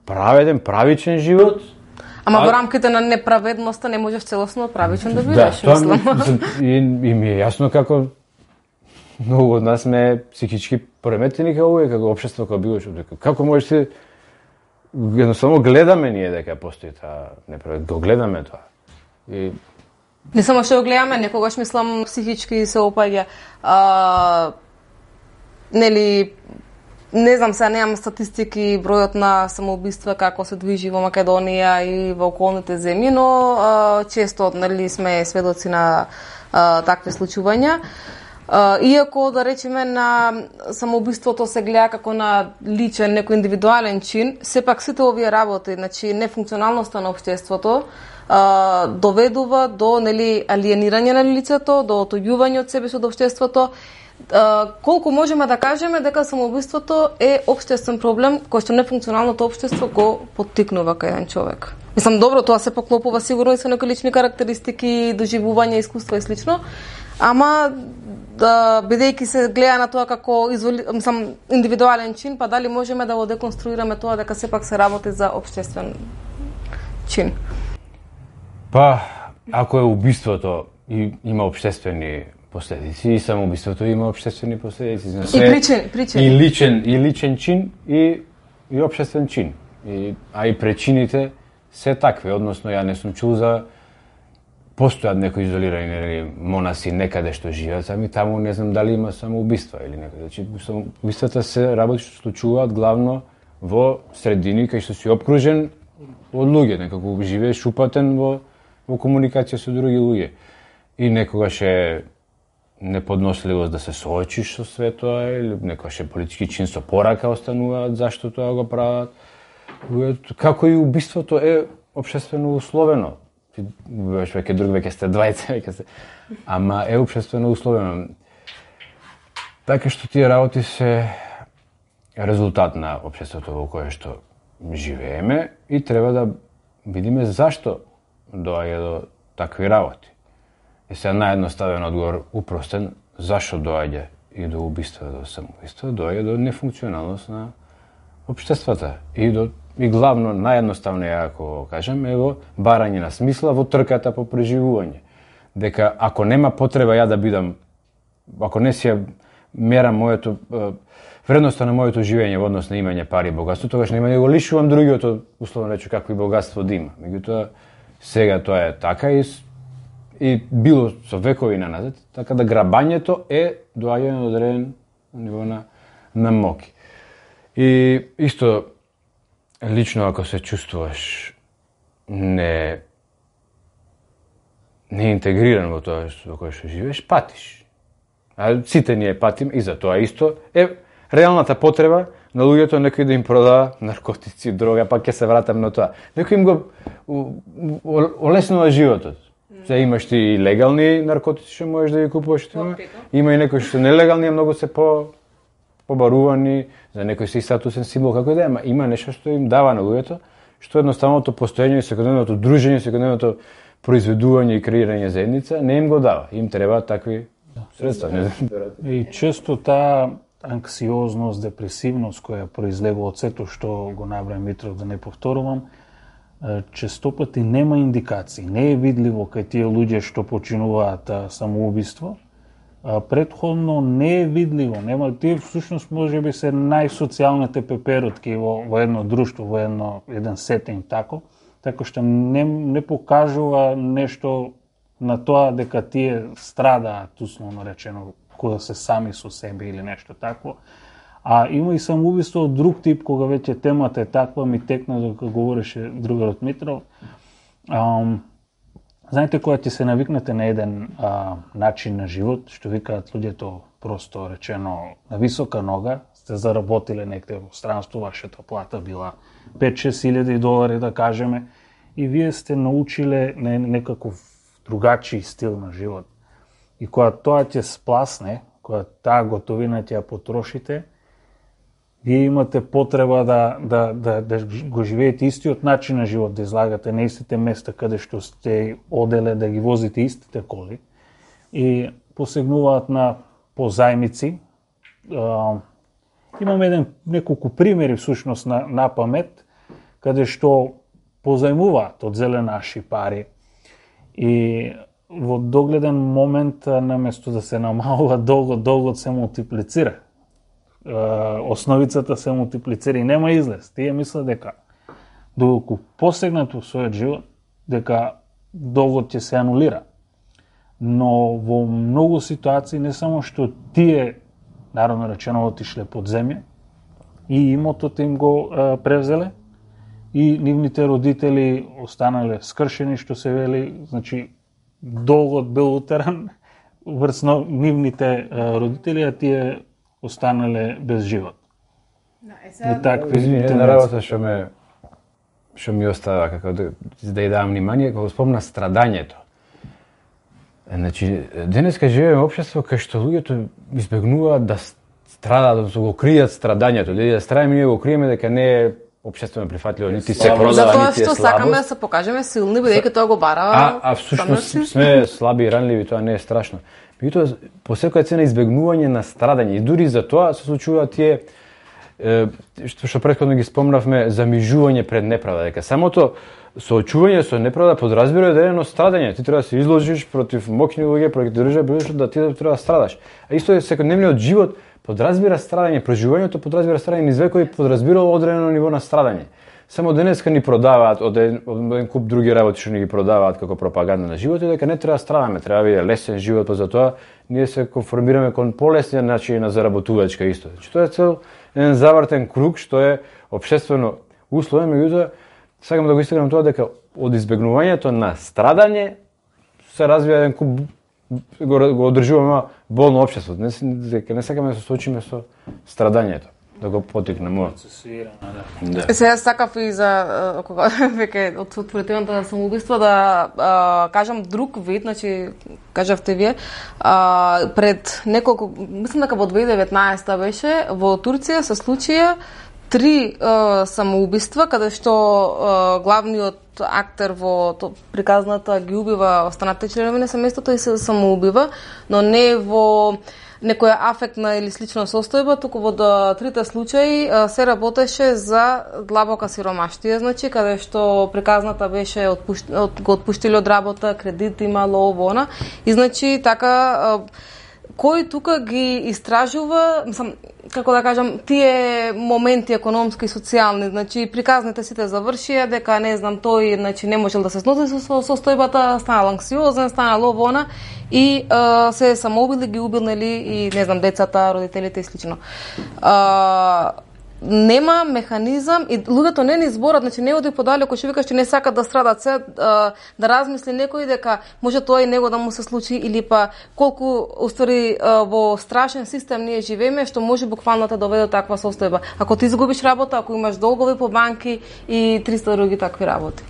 праведен, правичен живот. Ама во рамките на неправедноста не можеш целосно правичен да бидеш, да, мислам. И, и ми е јасно како многу од нас сме психички пореметени како луѓе, како општество, како било што. Како можеш ти едноставно гледаме ние дека постои таа неправедност, го гледаме тоа. И не само што го гледаме, некогаш мислам психички се опаѓа. А, нели не знам, сега немам статистики, бројот на самоубиства како се движи во Македонија и во околните земји, но а, често нели сме сведоци на а, такви случувања. А, иако да речеме на самоубиството се гледа како на личен, некој индивидуален чин, сепак сите овие работи, значи нефункционалноста на општеството а, доведува до нели алиенирање на лицето, до отоѓување од себе со општеството. Uh, колку можеме да кажеме дека самоубиството е општествен проблем кој што нефункционалното општество го поттикнува кај еден човек. Мислам, добро, тоа се поклопува сигурно и со некои лични карактеристики, доживување, искуство и слично, ама да, бидејќи се гледа на тоа како изволи, мислам, индивидуален чин, па дали можеме да го деконструираме тоа дека сепак се работи за општествен чин? Па, ако е убиството и има општествени последици, и самоубиството има општествени последици. Значи, и причини, причини. И личен, и личен чин, и, и општествен чин. И, а и причините се такви, односно ја не сум чул за постојат некои изолирани нели, монаси некаде што живеат, сами таму не знам дали има самоубиства или некаде. Значи, самоубиствата се работи што случуваат главно во средини кај што си обкружен од луѓе, некако живееш упатен во, во комуникација со други луѓе. И некогаш е неподносливост да се соочиш со све тоа, или некојаш е политички чин со порака остануваат зашто тоа го прават. Како и убиството е општествено условено. Ти убиваш веќе друг, веќе сте двајца, веќе сте... Ама е општествено условено. Така што тие работи се резултат на општеството во кое што живееме и треба да видиме зашто доаѓа до такви работи. И сега наједноставен одговор, упростен, зашто доаѓа и до убиства, до самоубиства, доаѓа до нефункционалност на општествата и до и главно наједноставно ја ако кажам е во барање на смисла во трката по преживување. Дека ако нема потреба ја да бидам, ако не си ја мерам моето вредноста на моето живење во однос на имање пари и богатство, тогаш нема да го лишувам другиот, условно рече, какво и богатство да има. Меѓутоа сега тоа е така и и било со векови наназад, така да грабањето е доаѓање на одреден ниво на на моки. И исто лично ако се чувствуваш не не интегриран во тоа во кое што живееш, патиш. А сите ние патим и за тоа исто е реалната потреба на луѓето некој да им продава наркотици, дрога, па ќе се вратам на тоа. Некој им го олеснува животот. Се имаш ти и легални наркотици што можеш да ги купуваш, има, има и некои што нелегални, а многу се по побарувани, за некој си статусен символ, како да е, ама има нешто што им дава на луѓето, што едноставното постоење и секојдневното дружење, секојдневното произведување и креирање заедница не им го дава. Им треба такви средства. И често таа анксиозност, депресивност која произлегува од сето што го набра Митров, да не повторувам, често пати нема индикации, не е видливо кај тие луѓе што починуваат самоубиство, претходно не е видливо, нема тие всушност можеби се најсоцијалните пеперутки во, во едно друштво, во едно еден сетинг тако, така што не не покажува нешто на тоа дека тие страдаат, условно речено, кога се сами со себе или нешто такво. А има и самоубиство од друг тип, кога веќе темата е таква, ми текна докато говореше другарот Митров. Ам, знаете, кога ќе се навикнете на еден а, начин на живот, што викаат луѓето просто речено на висока нога, сте заработиле некде во странство, вашата плата била пет-шест илјади долари, да кажеме, и вие сте научиле на некаков другачи стил на живот. И кога тоа ќе спласне, кога таа готовина ќе ја потрошите, вие имате потреба да, да, да, да го живеете истиот начин на живот, да излагате на истите места каде што сте оделе, да ги возите истите коли и посегнуваат на позајмици. Имам еден неколку примери всушност на, на памет, каде што позајмуваат од зеленаши пари и во догледен момент наместо да се намалува долгот, долгот се мултиплицира. Основицата се мултиплицира и нема излез. Тие мислат дека доколку посегнат во својот живот, дека долгот ќе се анулира. Но во многу ситуации не само што тие, народно речено, отишле под земја и имотот им го а, превзеле и нивните родители останале скршени, што се вели, значи долгот бил утеран врз нивните а, родители, а тие останале без живот. Да, е сега... И такви една работа што ме што ми остава како да, да ја давам внимание, кога спомна страдањето. Значи, денеска живееме во општество кај што луѓето избегнуваат да страдаат, да го кријат страдањето, да страдајме ние го криеме дека не е општествено прифатливо, нити се продава, затоа нити е што слабост. сакаме да се покажеме силни, бидејќи тоа го бара. А, а всушност сме слаби и ранливи, тоа не е страшно. Меѓутоа, по секоја цена избегнување на страдање и дури за тоа се случуваат тие е, што што претходно ги спомнавме, замижување пред неправда, дека самото соочување со неправда подразбира одредено страдање. Ти треба да се изложиш против моќни луѓе, против држава, да ти треба да страдаш. А исто е секојдневниот живот подразбира страдање, преживувањето подразбира страдање, низ векови подразбира одредено ниво на страдање. Само денеска ни продаваат од еден, од еден куп други работи што ни ги продаваат како пропаганда на животот, дека не треба да страдаме, треба да биде лесен живот, па затоа ние се конформираме кон полесни начини на заработувачка исто. Значи тоа е цел еден завртен круг што е општествено условен, меѓутоа сакам да го истакнам тоа дека од избегнувањето на страдање се развива еден куп, го, го одржуваме болно општество. Не, дека не сакаме да се соочиме со страдањето, да го потикнеме. Да. Сега сакав и за кога веќе од отворителната самоубиство да а, кажам друг вид, значи кажавте вие, а, пред неколку, мислам дека во две илјади и деветнаесета беше, во Турција се случија три а, самоубиства, каде што а, главниот актер во то, приказната ги убива останатите членови на семејството и се самоубива, но не во некоја афектна или слична состојба, туку во трите случаи се работеше за длабока сиромаштија, значи каде што приказната беше отпушт... од... го отпуштили од работа, кредит имало ово она, и значи така кој тука ги истражува, мислам, како да кажам, тие моменти економски и социјални, значи приказните сите завршија дека не знам тој, значи не можел да се сноси со состојбата, станал анксиозен, станал ово она и а, се самоубили, ги убил, нели, и не знам децата, родителите и слично. А, нема механизам и луѓето не ни зборат, значи не оди подалеку, што викаш, че не сакат да страдат, се да, да размисли некој дека може тоа и него да му се случи, или па колку уствари во страшен систем ние живееме, што може буквално да доведе до таква состојба. Ако ти изгубиш работа, ако имаш долгови по банки и триста други такви работи.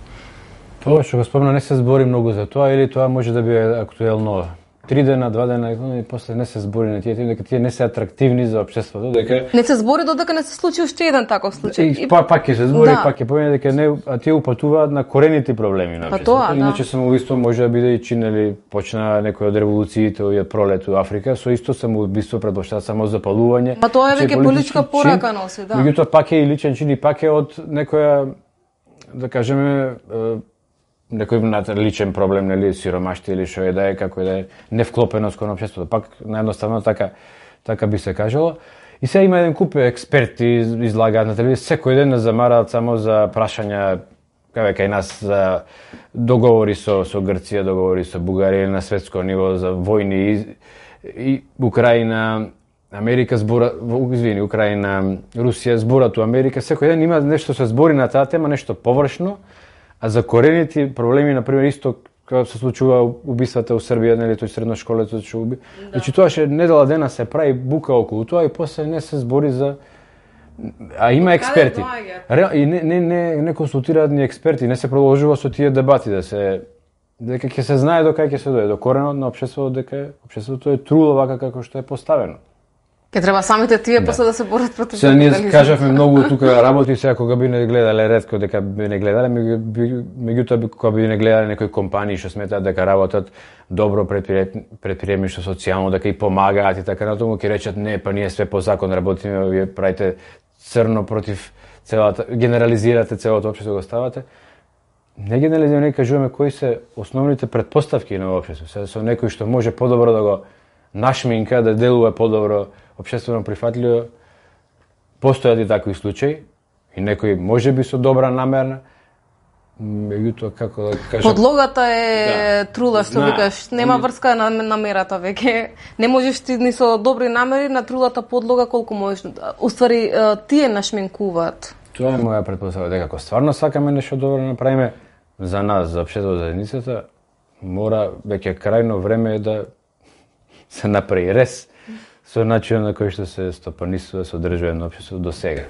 Тоа што го спомна, не се збори многу за тоа, или тоа може да биде актуелно три дена, два дена, и после не се збори на тие теми, дека тие не се атрактивни за општеството, дека не се збори додека не се случи уште еден таков случај. И па пак ќе се збори, да. пак ќе помине дека не, а тие упатуваат на корените проблеми на општеството. Па Иначе да. самоубиство може да биде и чинели, почна некој од револуциите и од пролет у Африка, со исто самоубиство предпоставува само запалување. Ма тоа е веќе политичка порака носи, да. Меѓутоа пак е и личен чин, и пак е од некоја, да кажеме, некој личен проблем, нели, сиромаштија или што е да е, како е да е, невклопеност кон општеството. Пак наједноставно така така би се кажало. И сега има еден куп експерти излагаат на телевизија, секој ден нас замараат само за прашања, кај кај нас за договори со со Грција, договори со Бугарија на светско ниво за војни и, и Украина, Америка збора, извини, Украина, Русија зборат у Америка, секој ден има нешто се збори на таа тема, нешто површно. А за корените проблеми, например, исто кога се случува убиствата у Србија, нели, тој средношколец што уби. Да. Значи тоа ше недела дена се прави бука околу тоа и после не се збори за, а има експерти. И не не не не консултираат ни експерти, не се продолжува со тие дебати да се дека ќе се знае до кај ќе се дојде, до коренот на општеството, дека општеството е труло вака како што е поставено. Ке треба самите тие да. После да се борат против Сега ние кажавме многу тука работи, сега кога би не гледале, ретко дека би не гледале, меѓутоа кога би не гледале некои компании што сметаат дека работат добро, предприемничко, социјално, дека и помагаат и така натаму, ќе речат не, па ние све по закон работиме, вие правите црно против целата, генерализирате целото општество, го ставате. Не генерализираме, не кажуваме кои се основните претпоставки на општеството. Сега со некој што може подобро да го нашминка, да делува подобро, општествено прифатливо, постојат и такви случаи, и некои можеби со добра намерна, меѓутоа како да кажам... Подлогата е да. Трула, што Зна... викаш, нема врска на намерата веќе. Не можеш ти ни со добри намери на трулата подлога колку можеш. Уствари, тие нашминкуваат. Тоа е моја претпоставка, дека ако стварно сакаме нешто добро направиме за нас, за општеството, за заедницата, мора веќе крајно време е да се направи рез со начинот на кој што се стопанисува, се одржува на општество до сега.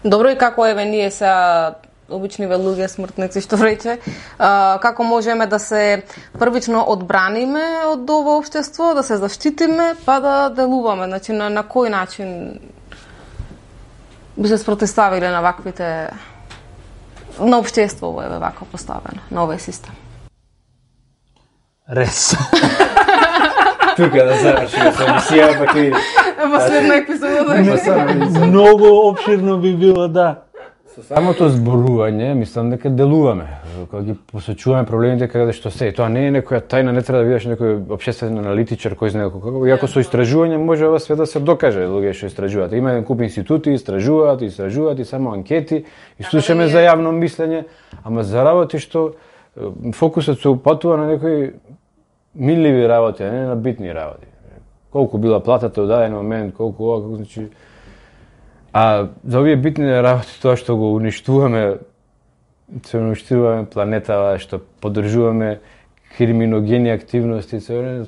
Добро, и како еве ние сега обичниве луѓе смртници што рече, а, како можеме да се првично одбраниме од ова општество, да се заштитиме, па да делуваме, значи на, на кој начин би се спротиставиле на ваквите на општество еве вака поставено, на овој систем. Рез. Тука да завршиме со емисија, па ќе... Последна епизода. Многу опширно би било, да. Со самото зборување, мислам дека делуваме. Кога ги посочуваме проблемите каде што се. Тоа не е некоја тајна, не треба да бидеш некој општествен аналитичар кој знае како. Иако со истражување може ова све да се докаже, луѓе што истражуваат. Има еден куп институти, истражуваат, истражуваат и само анкети, и слушаме за јавно мислење, ама за работи што фокусот се упатува на некои милливи работи, а не на битни работи. Колку била платата од даден момент, колку ова, колку, значи... А за овие битни работи, тоа што го уништуваме, се уништуваме планетава, што поддржуваме криминогени активности,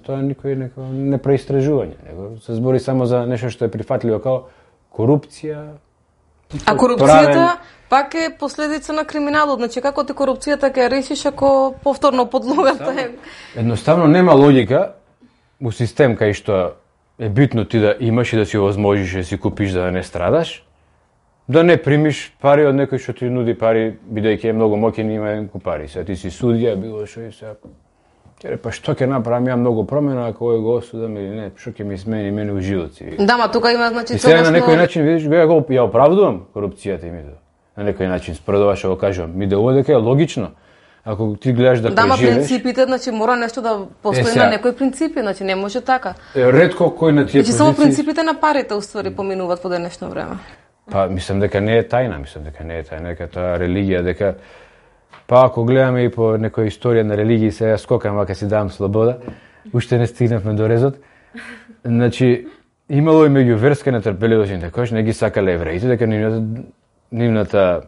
тоа никој не преистражување. Се збори само за нешто што е прифатливо, као корупција. А корупцијата пак е последица на криминалот, значи како ти корупцијата ќе решиш ако повторно подлогата е... Едноставно нема логика у систем кај што е битно ти да имаш и да си овозможиш да си купиш за да не страдаш, да не примиш пари од некој што ти нуди пари, бидејќи е многу моќен и има еден куп пари. Сега ти си судија, било што и сега. Ќе па што ќе направам, ја многу промена, ако овој го осудам или не, што ќе ми смени мене у живот си. Да, ма тука има значи целосно... И сега на некој начин видиш, го ја, го, ја оправдувам корупцијата и мито. На некој начин според ова што го кажувам. Ми делува дека е логично. Ако ти гледаш да, да преживееш... Да, ма принципите, значи мора нешто да постои е, на некои принципи, значи не може така. Е, ретко кој на тие значи, позиции... само принципите на парите уствари поминуваат во денешно време. Па мислам дека не е тајна, мислам дека не е тајна, дека таа религија, дека па ако гледаме и по некоја историја на религии, сега скокам, вака си давам слобода, уште не стигнавме до резот. Значи, имало и меѓуверска нетрпеливост, такош не ги сакале евреите, дека нивната, нивната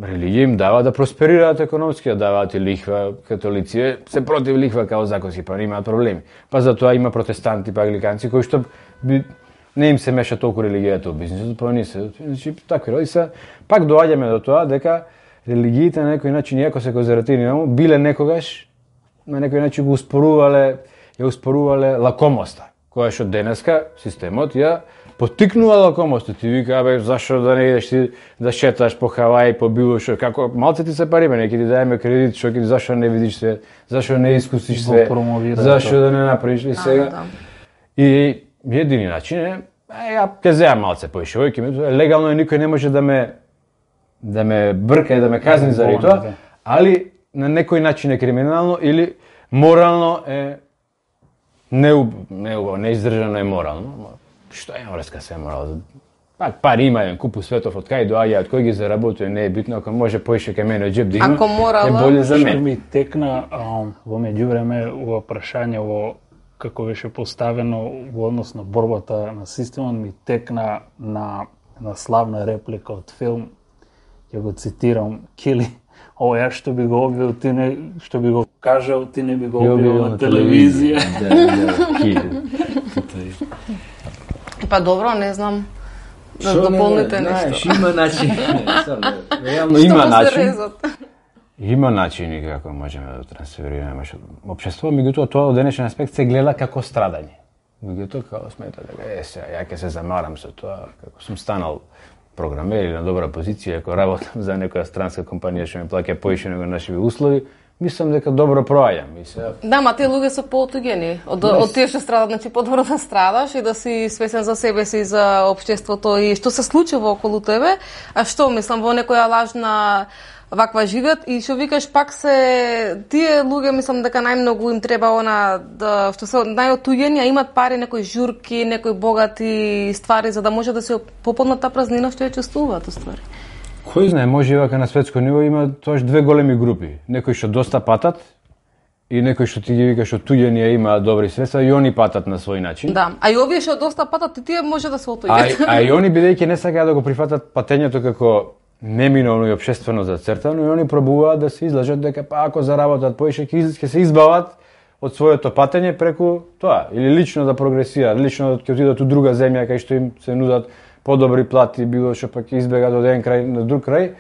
религија им дава да просперираат економски, да даваат и лихва, католици се против лихва као законски, па немаат проблеми. Па затоа има протестанти, па англиканци, кои што би, не им се меша толку религијата во бизнисот, па не се, значи, такви роди се. Пак доаѓаме до тоа дека религиите на некој начин, иако се конзервативни, биле некогаш, на некој начин го успорувале, ја успорувале лакомоста, која што денеска системот ја поттикнува лакомоста. Ти вика, абе, зашо да не идеш ти да шеташ по Хаваи, по било што, како малце ти се париме, не ќе ти даеме кредит, што ќе зашо не видиш се, зашо не искусиш се, зашо да не направиш и сега. Да. И едини начин е, ја ќе земам малце поише, ој ќе ми, легално е, никој не може да ме да ме брка и да ме казни заради тоа, али на некој начин е криминално или морално е не не неиздржано е морално. Што е врска се морално? Пак пари има, еден купу светов, од кај доаѓа, од кој ги заработува, не е битно, ако може поише кај мене од џеб да има, морала... е боле за мене. Што ми текна а, во меѓувреме во прашање во како беше поставено во однос на борбата на системот, ми текна на на славна реплика од филм, ќе го цитирам, Кили, ово ја што би го објавил, ти не, што би го кажал, ти не би го објавил на телевизија. Да, да, Кили. Па добро, не знам, да дополните нешто. Знаеш, има начин. Реално има начин. Има начини како можеме да трансферираме општеството, меѓутоа тоа од денешен аспект се гледа како страдање. Меѓутоа како смета дека е сега ја ќе се замарам со тоа, како сум станал програмер или на добра позиција, ако работам за некоја странска компанија што ми плаќа поише него нашиви услови, мислам дека добро проаѓам. Се... Да, ма тие луѓе се поотуѓени од yes. од тие што страдат, значи подобро да страдаш и да си свесен за себе си, за општеството и што се случува околу тебе, а што мислам во некоја лажна ваква живеат и што викаш пак се тие луѓе мислам дека најмногу им треба она да што се најотуѓени, а имат пари, некои журки, некои богати ствари за да може да се пополнат таа празнина што ја чувствуваат уствари. Кој знае, може и вака на светско ниво има тоаш две големи групи, некои што доста патат и некои што ти ги викаш отуѓени а имаат добри средства и они патат на свој начин. Да, а и овие што доста патат и тие може да се А, отуѓат. а и они бидејќи не сакаат да го прифатат патењето како неминовно и општествено зацртано и они пробуваат да се излажат дека па ако заработат поише ќе се избават од своето патење преку тоа или лично да прогресираат, лично ќе отидат у друга земја кај што им се нудат подобри плати, било што пак избегат од еден крај на друг крај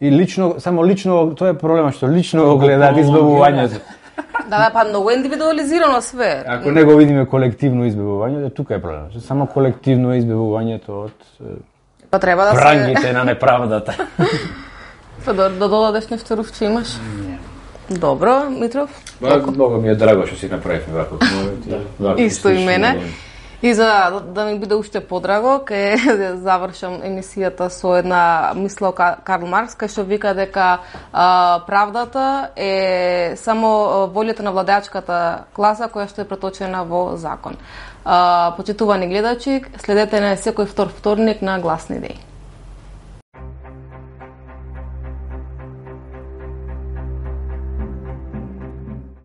и лично само лично тоа е проблемот што лично го гледаат избавувањето. Да, да, па многу индивидуализирано све. Ако не го видиме колективно избавување, тука е проблемот. Само колективно е избавувањето од па треба да се прангите на неправдата. Па да, да додадеш нешто Рувче имаш? Не. Добро, Митров? Многу ми е драго што си направивме ваков момент. Исто и мене. И за да ми биде уште подраго, ке завршам емисијата со една мисла Карл Маркс, кај што вика дека а, правдата е само волјата на владеачката класа која што е преточена во закон. А, почитувани гледачи, следете на секој втор вторник на Гласни идеи.